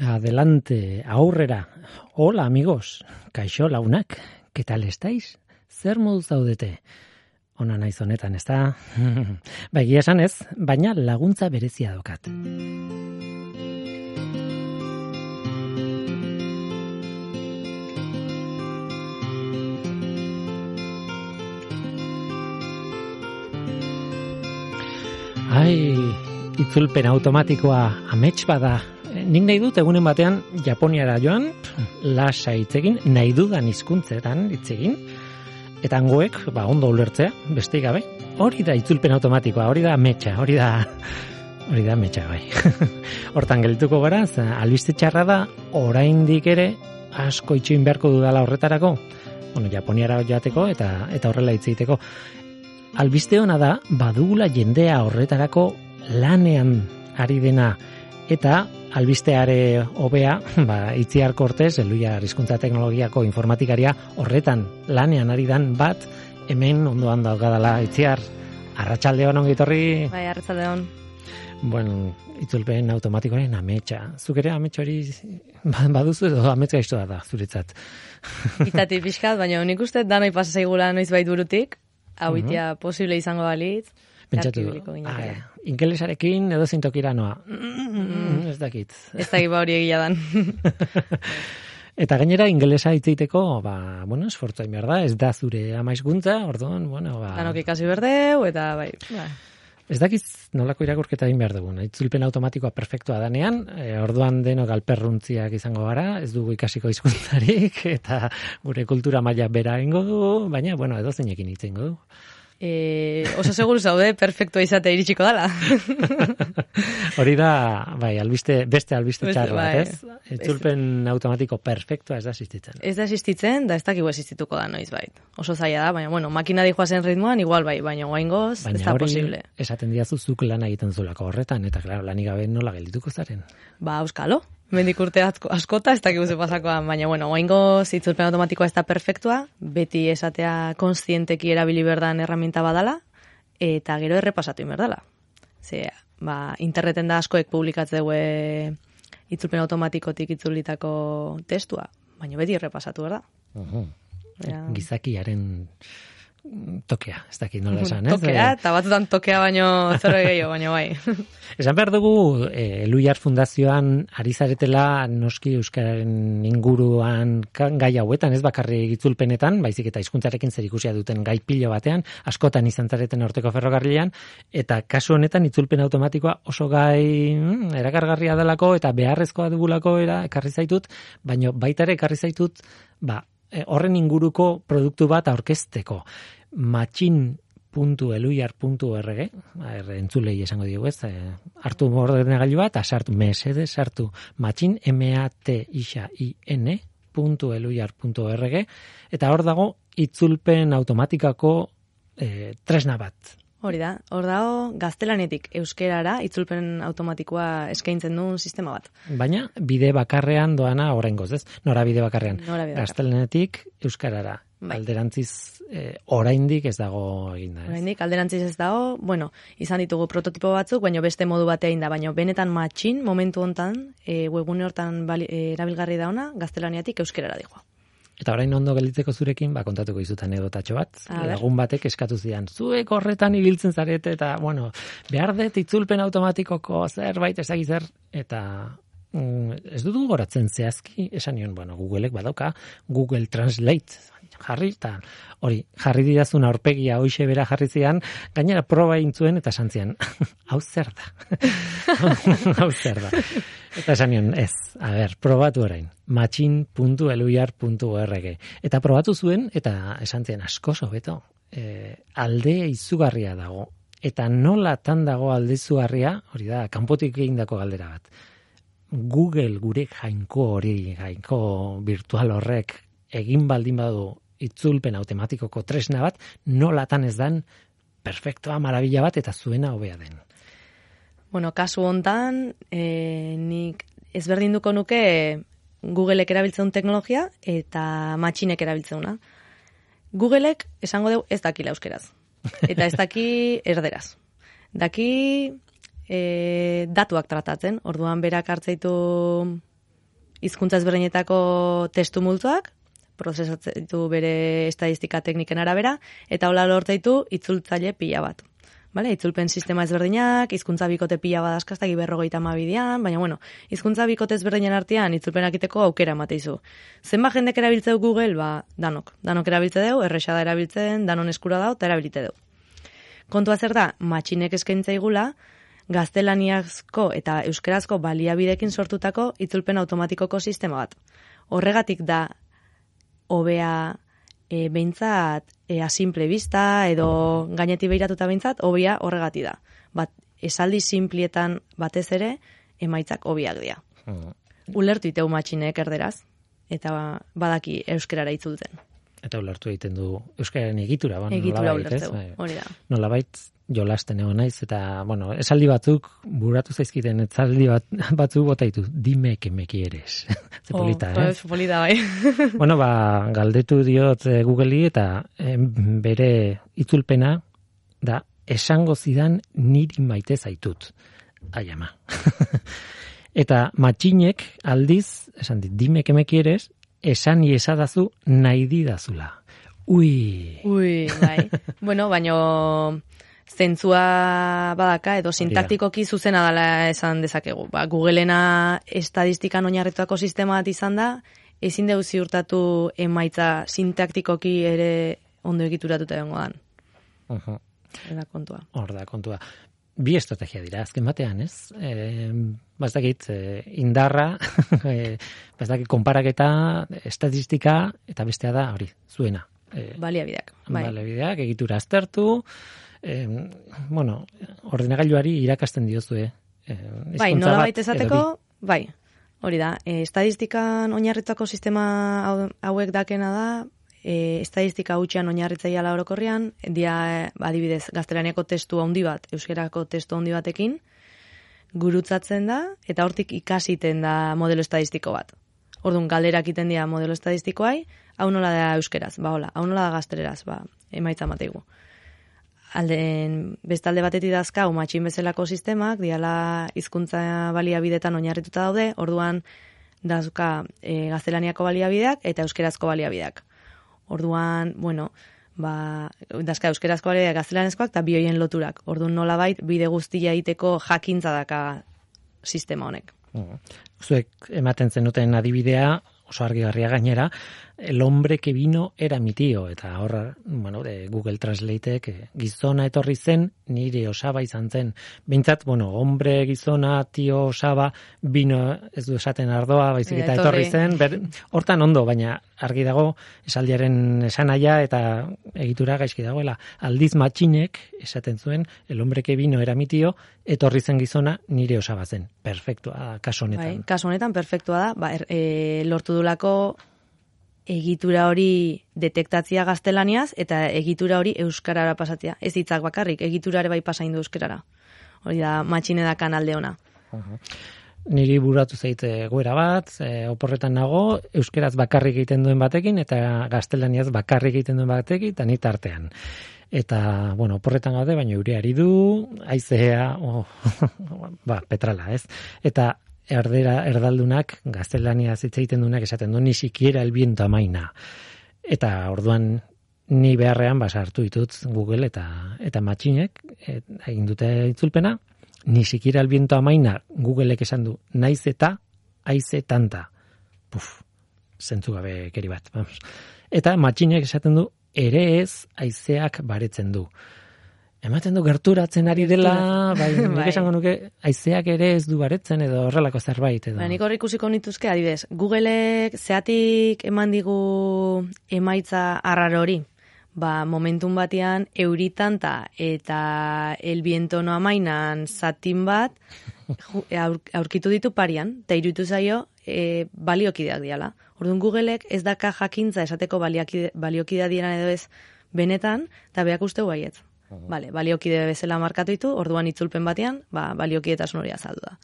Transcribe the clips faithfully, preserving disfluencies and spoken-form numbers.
Adelante, aurrera. Hola, amigos. Kaixo launak. ¿Qué tal estáis? Zer moduz zaudete? Ona naiz honetan, ezta? Ba, egia esan ez, baina laguntza berezia daukat. Ai, itzulpen automatikoa amets bada. Nik nahi dut egunen batean Japoniara joan, lasa hitz egin, nahi dudan hizkuntzetan hitz egin, eta hangoek, ba, ondo ulertzea, besteik gabe. Hori da itzulpen automatikoa, hori da ametsa, hori da hori da ametsa bai. Hortan geldituko gara, albiste txarra da, oraindik ere asko itxoin beharko dudala horretarako. Bueno, Japoniara joateko eta eta horrela hitz egiteko. Albiste ona da, badugula jendea horretarako lanean ari dena, eta albisteare hobea, ba, Itziar Cortez, Eluia Hizkuntza Teknologiako informatikaria horretan lanean ari dan bat, hemen ondoan daugadala. Itziar, arratsaldeon ongi etorri. Bai, arratsaldeon. Bueno, itzulpen automatikoaren ametsa. Zuk ere ametsa hori baduzu edo amets gaiztoa da zuretzat? Itzatik pixkat, baina nik uste danoi pasa zaigula noizbait burutik, hau itia posible izango balitz. Pentsatu, ah, ingelesarekin edo zintokira noa. Mm, ez dakit. Ez dakit ba hori egia dan. Eta gainera ingelesa hitz egiteko, ba, bueno, esfortzu egin behar da, ez da zure ama hizkuntza, orduan, bueno, ba... Danok ikasi berdeu, eta bai... Ba. Ez dakiz nolako irakurketa egin behar dugun. Itzulpen automatikoa perfektua danean, e, orduan denok alperruntziak izango gara, ez dugu ikasiko hizkuntzarik, eta gure kultura maila bera ingo du, baina, bueno, edo zeinekin hitz ingo du. E, oso seguru zaude, perfektua izate iritsiko dala. Hori da, bai, albiste, beste albiste txarra, bai, ez? Itzulpen automatiko perfektua ez da existitzen. Ez da existitzen, da ez dakigu existituko da noiz bait. Oso zaila da, baina, bueno, makina dijoa zen ritmoan, igual bai, baina guaingoz, ez da posible. Baina hori, esaten diazu zuk lan egiten zulako horretan, eta, klaro, lanik gabe nola geldituko zaren. Ba, euskalo. Mendik urte askota, ez dakigu ze pasakoan, baina, bueno, oaingo itzulpen automatikoa ez da perfektua, beti esatea konstienteki erabili berdan herramienta badala, eta gero errepasatu inberdala. Ze, ba, interneten da askoek publikatzeu itzulpen automatikotik itzulitako testua, baina beti errepasatu berda. Uh-huh. Ja. Gizakiaren tokea, ez dakit nola esan, ez? Tokea, eta batzutan tokea baino zero gehiago, baino bai. Esan behar dugu, e, Eluiar Fundazioan ari zaretela noski euskararen inguruan gai hauetan, ez bakarri itzulpenetan, baizik eta hizkuntzarekin zerikusia duten gai pilo batean, askotan izan zareten Orteko ferrokarrilean, eta kasu honetan itzulpen automatikoa oso gai mm, erakargarria delako eta beharrezkoa dugulako era ekarri zaitut, baino baita ere ekarri zaitut, ba, horren inguruko produktu bat aurkezteko. matxin puntu eluiar puntu org, entzulei esango diogu ez, eh, hartu ordenagailu bat, sartu, mesede sartu, matxin, M-A-T-I-X-I-N, puntu eluiar puntu org, eta hor dago itzulpen automatikako eh, tresna bat. Hori da, hor dago gaztelanetik euskerara itzulpen automatikoa eskaintzen duen sistema bat. Baina bide bakarrean doana oraingoz, ez? Nora bide bakarrean. Nora bide bakarrean. Gaztelanetik euskarara. Bai. Alderantziz eh, oraindik ez dago eginda, ez? Oraindik alderantziz ez dago, bueno, izan ditugu prototipo batzuk, baina beste modu batean da, baina benetan matxin momentu hontan, e, webgune hortan bali, e, erabilgarri da ona, gaztelaniatik euskerara dijoa. Eta orain ondo gelditzeko zurekin, ba, kontatuko izutan edotatxo bat. Lagun batek eskatu zidan, zuek horretan ibiltzen zarete, eta, bueno, behar dut itzulpen automatikoko zerbait ezagik zer, eta mm, ez dut goratzen zehazki, esan nion, bueno, Googleek badauka, Google Translate, jarri, eta hori, jarri didazun aurpegia hoixe bera jarri zian, gainera proba egin zuen, eta esan zian, hau zer da? Hau zer da? Eta esan nion, ez, a ber, probatu orain, matxin puntu eluiar puntu org. Eta probatu zuen, eta esan zian, asko sobeto, e, alde izugarria dago. Eta nolatan dago alde izugarria, hori da, kanpotik egindako galdera bat. Google gure jainko hori, jainko virtual horrek, egin baldin badu itzulpen automatikoko tresna bat, nolatan ez dan perfektoa, marabila bat, eta zuena hobea den. Bueno, kasu hontan, e, nik ezberdinduko nuke Googleek erabiltzen teknologia eta matxinek erabiltzeuna. Googleek esango dugu ez dakila euskeraz. Eta ez daki erderaz. Daki e, datuak tratatzen, orduan berak hartzeitu hizkuntza ezberdinetako testu multzoak, prozesatzen ditu bere estadistika tekniken arabera, eta hola lortu ditu itzultzaile pila bat. Vale, itzulpen sistema ezberdinak, hizkuntza bikote pila badazkaztaki berrogeita hamabian, baina bueno, hizkuntza bikote ezberdinen artean itzulpenak iteko aukera emateizu. Zenba jendek erabiltzeu Google, ba, danok. Danok erabiltze deu, erresa da erabiltzen, danon eskura dau, eta erabilite deu. Kontua zer da, matxinek eskaintza igula, gaztelaniazko eta euskerazko baliabidekin sortutako itzulpen automatikoko sistema bat. Horregatik da, hobea e, behintzat e, asimple bista edo gainetik behiratuta behintzat, hobea horregati da. Bat, esaldi simplietan batez ere, emaitzak hobiak dira. Hmm. Ulertu iteu matxinek erderaz, eta badaki euskerara itzultzen. Eta ulertu egiten du euskararen egitura. Bueno, egitura ulertzeu, hori da. Nolabait jolasten egon naiz, eta, bueno, esaldi batzuk, buratu zaizkiten, esaldi bat, batzuk bota ditu, dime que me quieres. Ze polita, oh, eh? Ez polita, bai. Bueno, ba, galdetu diot eh, Google-i, eta eh, bere itzulpena, da, esango zidan niri maite zaitut. Ai, ama. Eta matxinek aldiz, esan dit, dime que me quieres, esan iesadazu nahi didazula. Ui! Ui, bai. Bueno, baino zentzua badaka edo sintaktikoki zuzena dela esan dezakegu. Ba, Googleena estadistikan oinarrituako sistema bat izan da, ezin deu ziurtatu emaitza sintaktikoki ere ondo egituratuta egongo dan. Uh-huh. Eda kontua. Hor da kontua. Bi estrategia dira, azken batean, ez? E, Bastakit, e, indarra, e, bastakit, konparaketa, estatistika, eta bestea da, hori, zuena. E, Baliabideak. Bai. Baliabideak, egitura aztertu, e, bueno, ordenagailuari irakasten diozue. E, bai, nola baita esateko, bai, hori da, e, estadistikan oinarritzako sistema hauek dakena da, E, estadistika hutxean oinarritzaiala orokorrean, dia adibidez gaztelaniako testu handi bat, euskerako testu handi batekin, gurutzatzen da, eta hortik ikasiten da modelo estadistiko bat. Orduan, galderak iten dira modelo estadistikoai, hau nola da euskeraz, ba hola, hau nola da gazteleraz, ba, emaitza mateigu. Alden, bestalde batetik dazkau, matxin bezalako sistemak, diala hizkuntza baliabidetan oinarrituta daude, orduan, dazka e, gaztelaniako baliabideak eta euskerazko baliabideak. Orduan, bueno, ba, dazka euskerazko baliabideak gaztelanezkoak eta bi hoien loturak. Orduan nolabait bide guztia egiteko jakintza daka sistema honek. Zuek ematen zenuten adibidea, oso argigarria gainera, el hombre que vino era mi tío, eta horra, bueno, de Google Translateek gizona etorri zen, nire osaba izan zen. Bintzat, bueno, hombre, gizona, tio, osaba, vino, ez du esaten ardoa, baizik eta etorri zen, ber, hortan ondo, baina argi dago esaldiaren esanaia eta egitura gaizki dagoela. Aldiz matxinek esaten zuen, el hombre que vino era mi tío, etorri zen gizona, nire osaba zen. Perfektua, kaso honetan. Bai, kaso honetan perfektua da, ba, er, e, lortu dulako egitura hori detektatzia gaztelaniaz eta egitura hori euskarara pasatzea. Ez hitzak bakarrik, egiturare bai pasaindu euskarara. Hori da, matxine dakan alde ona. Uh-huh. Niri buratu zaite goera bat, e, oporretan nago, euskeraz bakarrik egiten duen batekin eta gaztelaniaz bakarrik egiten duen batekin eta nit artean. Eta, bueno, oporretan gaude, baina eureari du, haizea, oh, ba, petrala, ez? Eta erdera erdaldunak gaztelania hitz egiten duenak esaten du ni siquiera el viento amaina. Eta orduan ni beharrean basartu ditut Google eta eta matxinek et, egin dute itzulpena, ni siquiera el viento amaina Googleek esan du naiz eta haize tanta. Puf, zentzu gabe keri bat, vamos. Eta matxinek esaten du ere ez haizeak baretzen du. Ematen du gerturatzen ari dela, bai, nik esango nuke, haizeak ere ez du baretzen edo horrelako zerbait. Edo. Ba, nik horri ikusiko nituzke, adibidez, Googleek zeatik eman digu emaitza arraro hori. Ba, momentun batean, euritanta eta el viento no amainan zatin bat aurkitu ditu parian, eta iruditu zaio e, baliokideak diala. Orduan Googleek ez daka jakintza esateko baliokidea diran edo ez benetan, eta beak usteu baietz. Vale, baliokide bezala markatu ditu, orduan itzulpen batean, ba, baliokidetasun hori azaldu da.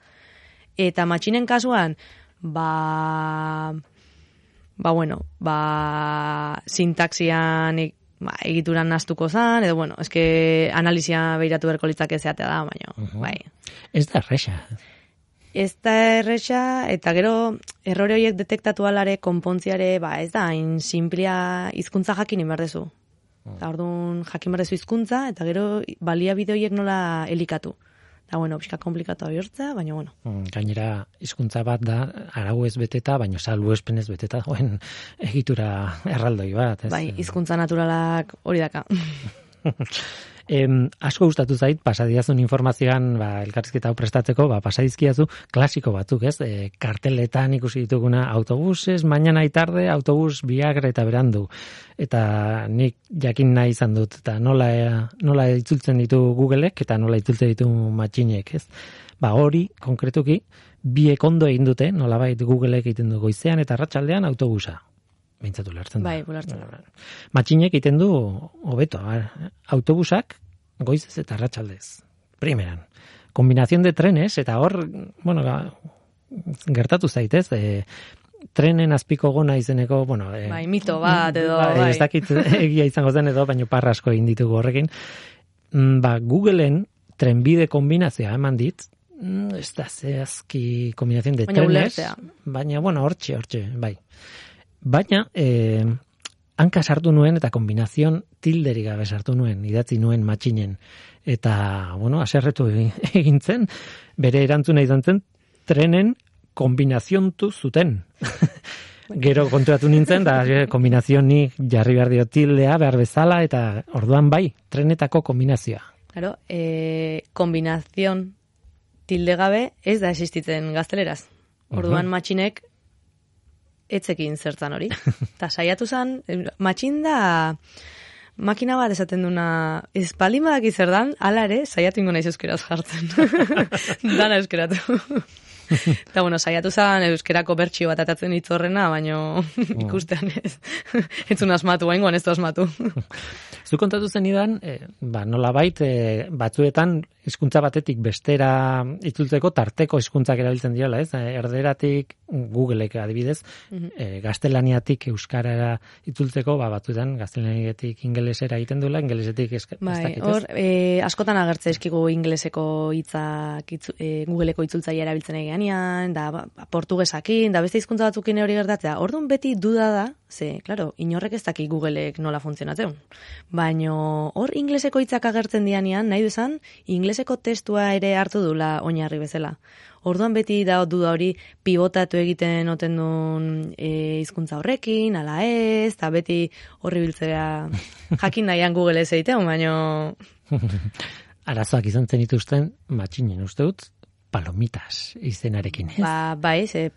Eta matxinen kasuan, ba, ba bueno, ba, sintaxian ba, egituran naztuko zan, edo bueno, eske analizia behiratu berko litzake zeatea da, baina, uh-huh. bai. Ez da erresa. ez da erresa, eta gero errore horiek detektatu alare, konpontziare, ba, ez da, hain simplia hizkuntza jakin inberdezu. Eta orduan jakin berdezu hizkuntza, eta gero baliabide horiek nola elikatu. Da, bueno, pixka komplikatu bihurtzea, baina, bueno. Gainera, hizkuntza bat da, arau ez beteta, baina salbu espenez beteta, joen egitura erraldoi bat. Ez? Bai, hizkuntza naturalak hori daka. Em, asko gustatu zait, pasadiazun informazioan, ba, elkarrizketa hau prestatzeko, ba, pasadizkiazu klasiko batzuk, ez? E, karteletan ikusi dituguna autobuses, mañana y tarde, autobus biagra eta berandu. Eta nik jakin nahi izan dut, eta nola, nola itzultzen ditu Googleek, eta nola itzultzen ditu matxinek, ez? Ba, hori, konkretuki, biek ondo egin dute, nolabait Googleek egiten du goizean eta arratsaldean autobusa. Bintzatu lertzen da. Bai, bulartzen da. Matxinek egiten du hobeto, autobusak goizez eta arratsaldez. Primeran. Kombinación de trenes, eta hor, bueno, gertatu zaitez, e, trenen azpiko gona izeneko, bueno... E, bai, mito bat edo, bai. bai. Ez dakit egia izango zen edo, baina parra asko egin ditugu horrekin. Ba, Googleen trenbide kombinazioa eman dit, ez da zehazki kombinación de baina trenes, ulertzea. Baina, bueno, hortxe, hortxe, bai. Baina, eh, hanka sartu nuen eta kombinazion tilderi gabe sartu nuen, idatzi nuen matxinen. Eta, bueno, aserretu egin zen, bere erantzuna izan zen, trenen kombinaziontu zuten. Gero konturatu nintzen, da kombinazionik jarri behar dio tildea, behar bezala, eta orduan bai, trenetako kombinazioa. Claro, eh, kombinazion tilde gabe ez da existitzen gazteleraz. Orduan uh-huh. matxinek etzekin zertzan hori. Eta saiatu zen, matxin da makina bat esaten duna, ez palin badaki zer dan, ala ere, saiatu ingo naiz euskeraz jartzen. Dana euskeratu. Eta, bueno, saiatu zen euskerako bertxio bat atatzen hitzorrena, baina ikustean ez. Ez un asmatu, haingoan ez du asmatu. Zu kontatu zen idan, e, ba, nola bait, e, batzuetan hizkuntza batetik bestera itzultzeko tarteko hizkuntzak erabiltzen diola, ez? Erderatik, Googleek adibidez, mm-hmm. e, gaztelaniatik euskarara itzultzeko, ba, batzuetan gaztelaniatik ingelesera egiten duela, ingelesetik eska, bai, ez dakit, ez? Hor, e, askotan agertze eskigu ingeleseko hitzak itzu, e, Googleeko itzultzaile erabiltzen egianean, da ba, portugesakin, da beste hizkuntza batzukin hori gertatzea. Orduan beti duda da, ze, claro, inorrek ez daki Googleek nola funtzionatzen. Baina hor ingleseko hitzak agertzen dianean, nahi du esan, ingleseko testua ere hartu dula oinarri bezala. Orduan beti da duda hori pivotatu egiten oten duen e, hizkuntza horrekin, ala ez, eta beti horri biltzea jakin nahian Google ez egiten, baina... Arazoak izan zen dituzten, matxinen uste dut, palomitas izenarekin, ez? Ba, bai, ze...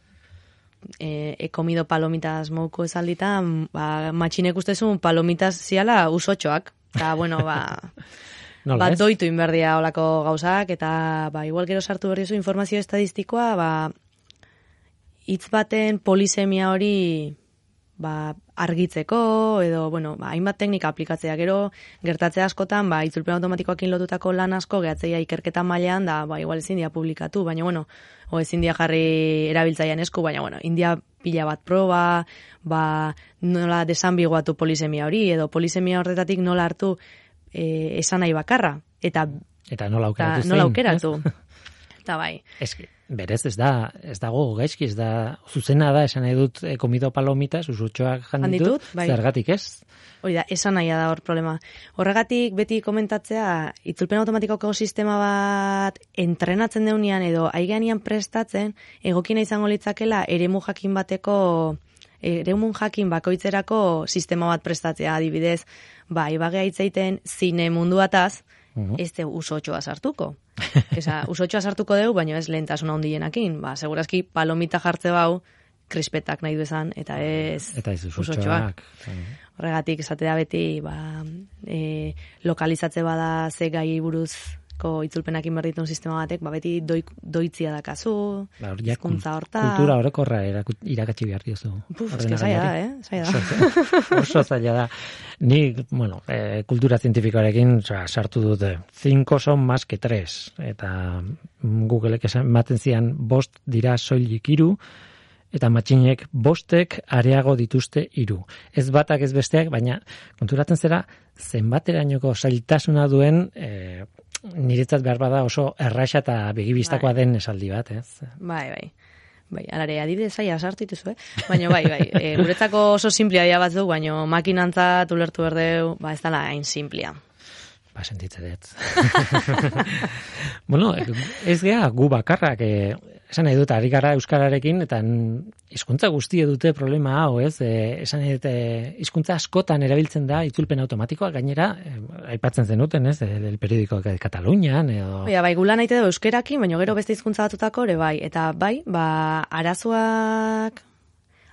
E, he comido palomitas mouko esalditan, ba, matxinek ustezun palomitas ziala usotxoak. Eta, bueno, ba, ba doitu inberdia olako gauzak, eta, ba, igual gero sartu berri zu informazio estadistikoa, ba, hitz baten polisemia hori, ba, argitzeko, edo, bueno, ba, hainbat teknika aplikatzea gero, gertatzea askotan, ba, itzulpen automatikoakin lotutako lan asko, gehatzeia ikerketa mailean, da, ba, igual ezin dia publikatu, baina, bueno, o ezin dia jarri erabiltzaian esku, baina, bueno, india pila bat proba, ba, nola desambiguatu polisemia hori, edo polisemia horretatik nola hartu e, esan nahi bakarra, eta, eta nola aukeratu zein. Nola aukeratu. Eta bai. Eski, berez ez da, ez dago gaizki, ez da, zuzena da, esan nahi dut, e, komido palomitas, usutxoak janditut, bai. Zergatik ez? Hori da, esan nahi da hor problema. Horregatik beti komentatzea, itzulpen automatikoko sistema bat entrenatzen deunean edo aigeanian prestatzen, egokina izango litzakela eremu jakin bateko, eremu jakin bakoitzerako sistema bat prestatzea, adibidez, ba, ibagea hitzeiten zine munduataz, uh-huh. ez de usotxoa sartuko. Esa, usotxoa sartuko deu, baina ez lehentasuna handienakin. Ba, segurazki palomita jartze bau, krispetak nahi du esan, eta ez, eta ez usotxoak. Horregatik esatea beti, ba, e, lokalizatze bada ze gai buruzko itzulpenakin berditun sistema batek, ba, beti doi, doitzia dakazu, ba, hizkuntza horta. Kultura orokorra irakatsi behar diozu. Puf, eske zaila da, eh? Zaila da. Oso zaila da. Ni, bueno, eh, kultura zientifikoarekin sartu dute. Cinco son más que tres. Eta Googleek ematen zian bost dira soilik hiru, eta matxinek bostek areago dituzte hiru. Ez batak ez besteak, baina konturatzen zera zenbaterainoko zailtasuna duen e, niretzat behar bada oso erraxa eta begibistakoa den esaldi bat, ez? Bai, bai. Bai, alare, adibidez zaila sartu dituzu, eh? Baina bai, bai, e, guretzako oso simplia dira batzuk, baina makinantzat ulertu berdeu, ba, ez dala hain simplia. Ba, sentitze dut. Bueno, ez gea gu bakarrak, eh, esan nahi dut, ari gara euskararekin, eta hizkuntza guztie dute problema hau, ez? Eh, esan nahi dut, eh, hizkuntza askotan erabiltzen da itzulpen automatikoa, gainera, eh, aipatzen zenuten, ez? El periodiko de Katalunian, edo... Oia, bai, gula nahi dugu euskerakin, baina gero beste hizkuntza batutako ere, bai. Eta bai, ba, arazoak...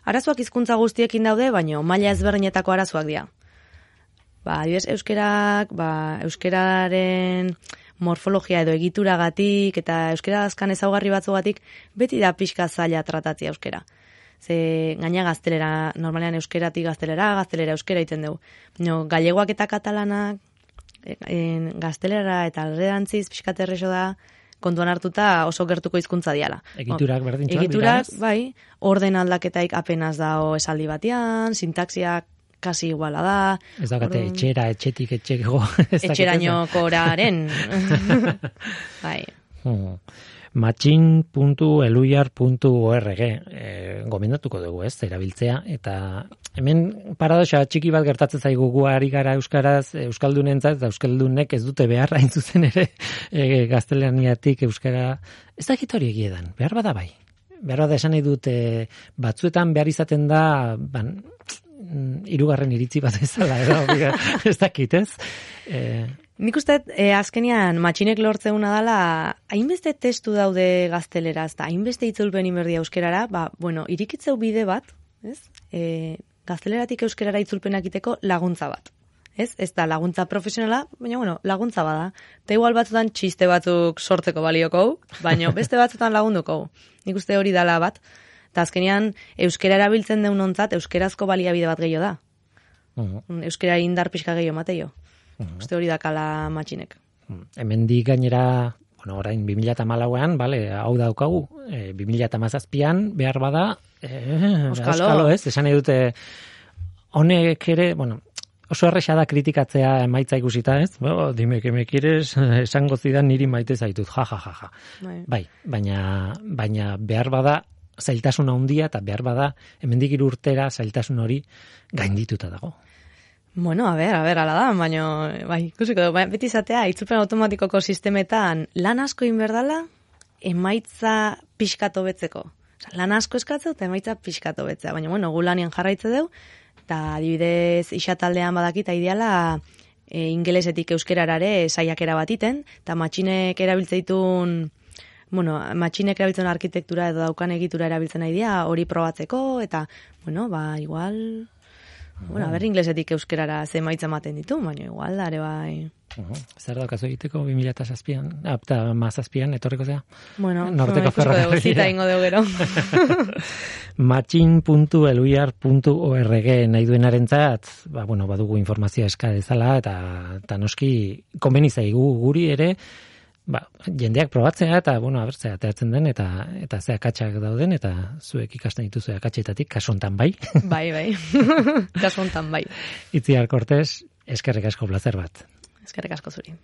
Arazoak hizkuntza guztiekin daude, baina maila ezberdinetako arazoak dira. Ba, adibidez, euskerak, ba, euskeraren morfologia edo egituragatik eta euskera azkan ezaugarri batzugatik beti da pixka zaila tratatzea euskera. Ze gaina gaztelera, normalean euskeratik gaztelera, gaztelera euskera iten dugu. No, gallegoak eta katalanak en, gaztelera eta alderantziz pixka terrexo da kontuan hartuta oso gertuko hizkuntza diala. Egiturak berdintxoak. Egiturak, bai, orden aldaketaik apenas dao esaldi batean, sintaxiak kasi iguala da. Ez daukate orduan... etxera, etxetik, etxeko. Etxerainoko oraren. Bai. Hmm. matxin puntu eluiar puntu org e, gomendatuko dugu, ez, erabiltzea, eta hemen paradoxa txiki bat gertatzen zaigu gu ari gara euskaraz, euskaldunentzat, eta euskaldunek ez dute behar hain zuzen ere e, gaztelaniatik euskara, ez dakit hori egiedan, behar bada bai. Behar bada esan nahi dute batzuetan behar izaten da, ban, hirugarren iritzi bat ezala, edo, ez dakit, ez? E, Nik uste, eh, azkenian matxinek lortzeuna dela, hainbeste testu daude gazteleraz, eta hainbeste itzulpen inberdia euskerara, ba, bueno, irikitzeu bide bat, ez? E, gazteleratik euskerara itzulpenak iteko laguntza bat. Ez? Ez da laguntza profesionala, baina bueno, laguntza bada. Eta igual batzutan txiste batzuk sortzeko balioko, baina beste batzutan lagunduko. Nik uste hori dala bat. Eta azkenean, euskera erabiltzen deun ontzat, euskerazko baliabide bat gehiago da. Uh-huh. Euskera indar pixka gehiago mateio. Uh-huh. Uste hori dakala matxinek. Uh-huh. Hemendik gainera, bueno, orain bi mila hamalauean, bale, hau daukagu, e, bi mila hamazazpian behar bada, e, Euskalo. Euskalo, ez? Esan edute, honek ere, bueno, oso erresa da kritikatzea emaitza ikusita, ez? Bo, dime que me quieres, esango zidan niri maite zaitut, ja, ja, ja, ja. Bai, bai baina, baina behar bada, zailtasun handia eta behar bada, hemendik hiru urtera zailtasun hori gaindituta dago. Bueno, a ver, a ver, ala da, baina, bai, ikusiko dugu, beti izatea, itzulpen automatikoko sistemetan lan asko inberdala, emaitza pixkato betzeko. Osa, lan asko eskatzeu eta emaitza pixkato betzea, baina, bueno, gu lanien jarraitze dugu, eta adibidez isataldean badakita ideala e, ingelesetik euskerarare saiakera bat iten, eta matxinek erabiltzen ditun, bueno, matxinek erabiltzen arkitektura edo daukan egitura erabiltzen nahi dira, hori probatzeko, eta, bueno, ba, igual... Bueno, a ber, inglesetik euskerara ze emaitza ematen ditu, baina igual, are bai... Uh-huh. Zer daukazu egiteko bi mila zazpian, eta mazazpian, etorriko zea? Bueno, norteko ferrokarrila. Zita ingo dugu gero. matxin puntu eluiar puntu org nahi duenarentzat, ba, bueno, badugu informazioa eska dezala, eta, eta noski konbeni zaigu guri ere, ba, jendeak probatzea, eta, bueno, abertzea, ateratzen den, eta eta ze akatsak dauden, eta zuek ikasten dituzu akatsetatik, kasu hontan bai. Bai, bai. Kasu hontan bai. Itziar Cortés, eskerrik asko plazer bat. Eskerrik asko zuri.